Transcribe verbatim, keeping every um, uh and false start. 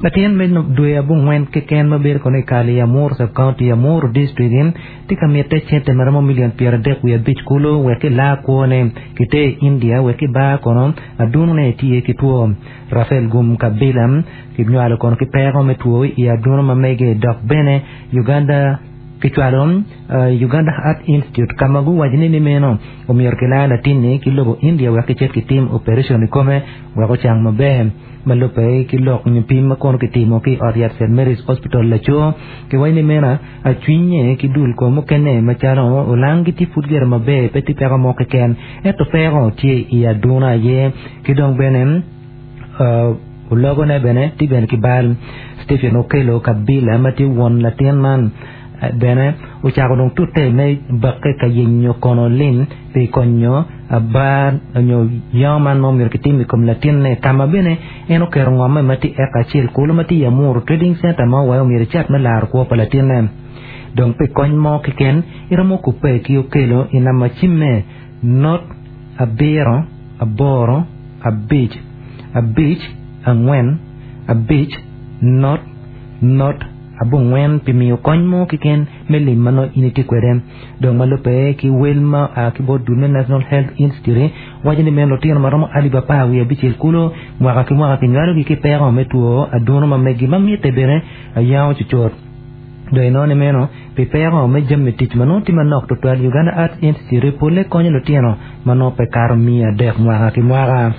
Latin me dwe abongwen keken ma bedo kono i kal i Amuru sub-county Amuru district tye ka mitte cente maromo milion pyera adek wiye abic kulu wek ki laa kwone kite i India wek ki bar kono adunone tye ki two. Rafael Gum Kabila kinywalo kono ki peko me two i aduno ma mege dok bene Uganda kicwalo uh, Uganda Heart Institute kama guwaco ni ni meno omyero kilaa latinni ki lobo India wek kicit kitim operation i kome wek ocang maber. Ma lubbe ki lok nyo pim ma kono kitimo ki ot yat Saint Mary's Hospital laco kiwaco ni meno acwinye ki dul kom mukene macalo olang gitye pud gire maber pe tye peko mo keken ento peko tye i aduna aye ki dong bene uh, ologone bene tye bene ki bal. Stephen Okello Kabila ma tye won latin man bene ocako dong tute me bakke ka yenyo kono lim pi konyo abar nyo yango man ma omyero kitim i kom latinne kama bene en oketo ngome ma tye eka acel kulu ma tye i Amuru Trading Center ma owayo omyero cat me laro kwo pa latinne. Dong pi kony mo keken iromo kupe ki Okello i namba cimme not abiro aboro abic abic angwen abic not not abongwen pi miyo kony mo keken me lim ma nongo in itye kwede. Dong ma lubbe ki wel ma a ki bot dul me National Health Institute waco ni meno lutino maromo alip apar wiye abicel kulu mwaka ki mwaka kinywalogi ki peko me two aduno ma megi ma mitte bene ayango cucut. Dong inongo ni meno pi peko me jami tic ma nongo tye manok tutwal Uganda Heart Institute polle konyo lutino ma nongo pe kato mia adek mwaka ki mwaka.